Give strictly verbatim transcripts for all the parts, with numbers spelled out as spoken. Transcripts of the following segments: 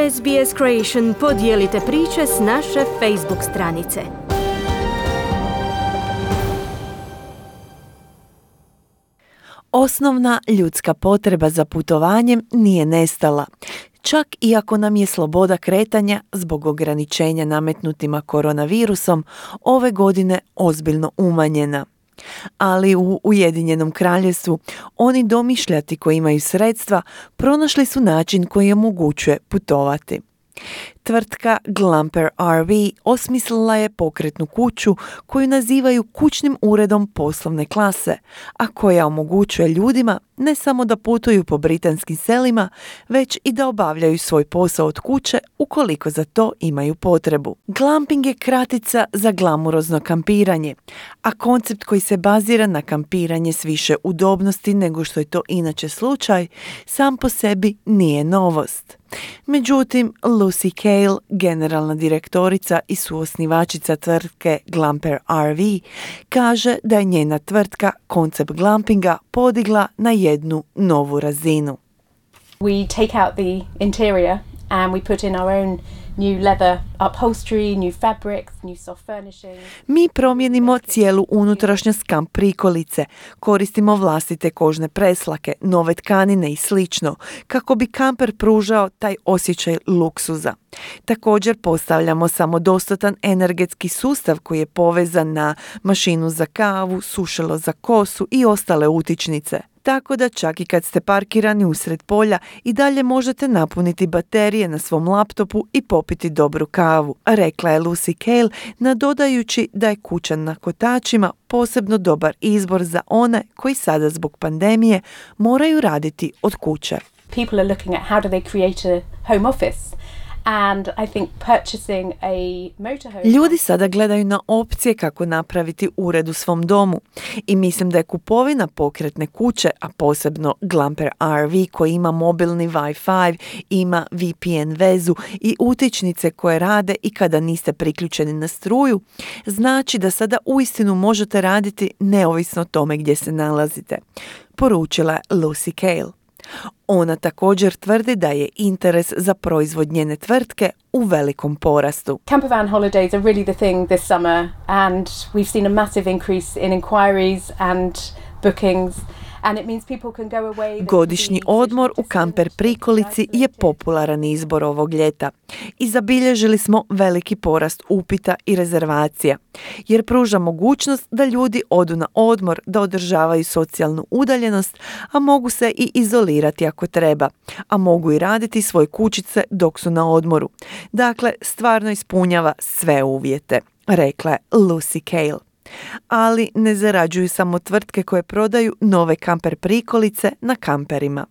S B S Creation podijelite priče s naše Facebook stranice. Osnovna ljudska potreba za putovanjem nije nestala. Čak i ako nam je sloboda kretanja zbog ograničenja nametnutima koronavirusom ove godine ozbiljno umanjena. Ali u Ujedinjenom kraljevstvu oni domišljati koji imaju sredstva pronašli su način koji omogućuje putovati. Tvrtka Glumper R V osmislila je pokretnu kuću koju nazivaju kućnim uredom poslovne klase, a koja omogućuje ljudima ne samo da putuju po britanskim selima, već i da obavljaju svoj posao od kuće ukoliko za to imaju potrebu. Glamping je kratica za glamurozno kampiranje, a koncept koji se bazira na kampiranje s više udobnosti nego što je to inače slučaj, sam po sebi nije novost. Međutim, Lucy Cale, generalna direktorica i suosnivačica tvrtke Glumper R V, kaže da je njena tvrtka koncept glampinga podigla na jednu novu razinu. We take out the interior and we put in our own new leather upholstery, new fabrics, new soft furnishing. Mi promijenimo cijelu unutrašnjost kamp prikolice, koristimo vlastite kožne preslake, nove tkanine i slično, kako bi kamper pružao taj osjećaj luksuza. Također postavljamo samodostatan energetski sustav koji je povezan na mašinu za kavu, sušilo za kosu i ostale utičnice. Tako da čak i kad ste parkirani usred polja i dalje možete napuniti baterije na svom laptopu i popiti dobru kavu, rekla je Lucy Cale, nadodajući da je kuća na kotačima posebno dobar izbor za one koji sada zbog pandemije moraju raditi od kuće. People are looking at how do they create a home office. And I think purchasing a motorhome... Ljudi sada gledaju na opcije kako napraviti ured u svom domu i mislim da je kupovina pokretne kuće, a posebno Glumper R V koji ima mobilni Wi-Fi, ima V P N vezu i utičnice koje rade i kada niste priključeni na struju, znači da sada uistinu možete raditi neovisno o tome gdje se nalazite, poručila je Lucy Cale. Ona također tvrdi da je interes za proizvod njene tvrtke u velikom porastu. Campervan holidays are really the thing this summer and we've seen a massive increase in inquiries and bookings. And it means people can go away. Godišnji odmor u kamper prikolici je popularan izbor ovog ljeta i zabilježili smo veliki porast upita i rezervacija, jer pruža mogućnost da ljudi odu na odmor, da održavaju socijalnu udaljenost, a mogu se i izolirati ako treba, a mogu i raditi svoje kućice dok su na odmoru. Dakle, stvarno ispunjava sve uvjete, rekla je Lucy Cale. Ali ne zarađuju samo tvrtke koje prodaju nove kamper prikolice na kamperima.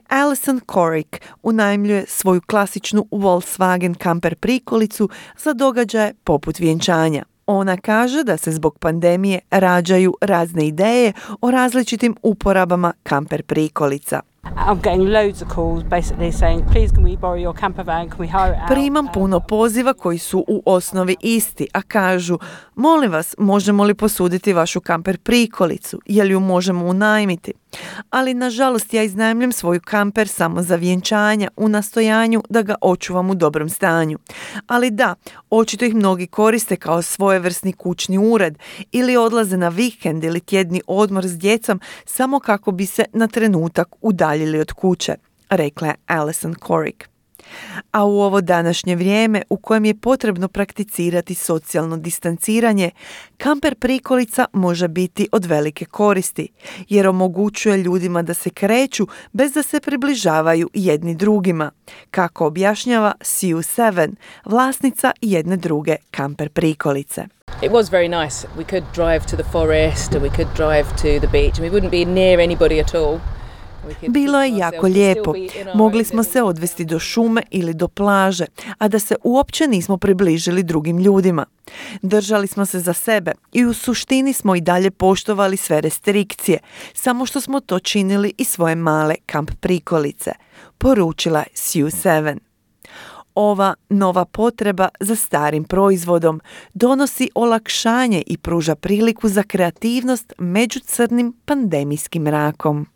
Alison Corrick unajmljuje svoju klasičnu Volkswagen kamper prikolicu za događaje poput vjenčanja. Ona kaže da se zbog pandemije rađaju razne ideje o različitim uporabama kamper prikolica. I'm getting loads of calls basically saying please can we borrow your camper van, can we hire it out? Primam puno poziva koji su u osnovi isti, a kažu molim vas, možemo li posuditi vašu kamper prikolicu, je li ju možemo unajmiti? Ali nažalost ja iznajmljujem svoju kamper samo za vjenčanja u nastojanju da ga očuvam u dobrom stanju. Ali da, očito ih mnogi koriste kao svojevrsni kućni ured ili odlaze na vikend ili tjedni odmor s djecom samo kako bi se na trenutak udaljili od kuće, rekla je Alison Corrick. A u ovo današnje vrijeme u kojem je potrebno prakticirati socijalno distanciranje, kamper prikolica može biti od velike koristi, jer omogućuje ljudima da se kreću bez da se približavaju jedni drugima, kako objašnjava Sue Seven, vlasnica jedne druge kamper prikolice. It was very nice. We could drive to the forest and we could drive to the beach and we wouldn't be near anybody at all. Bilo je jako lijepo. Mogli smo se odvesti do šume ili do plaže, a da se uopće nismo približili drugim ljudima. Držali smo se za sebe i u suštini smo i dalje poštovali sve restrikcije, samo što smo to činili i svoje male kamp prikolice, poručila je Sue Seven. Ova nova potreba za starim proizvodom donosi olakšanje i pruža priliku za kreativnost među crnim pandemijskim mrakom.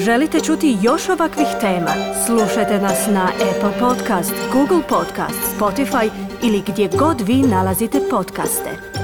Želite čuti još ovakvih tema? Slušajte nas na Apple Podcast, Google Podcast, Spotify ili gdje god vi nalazite podcaste.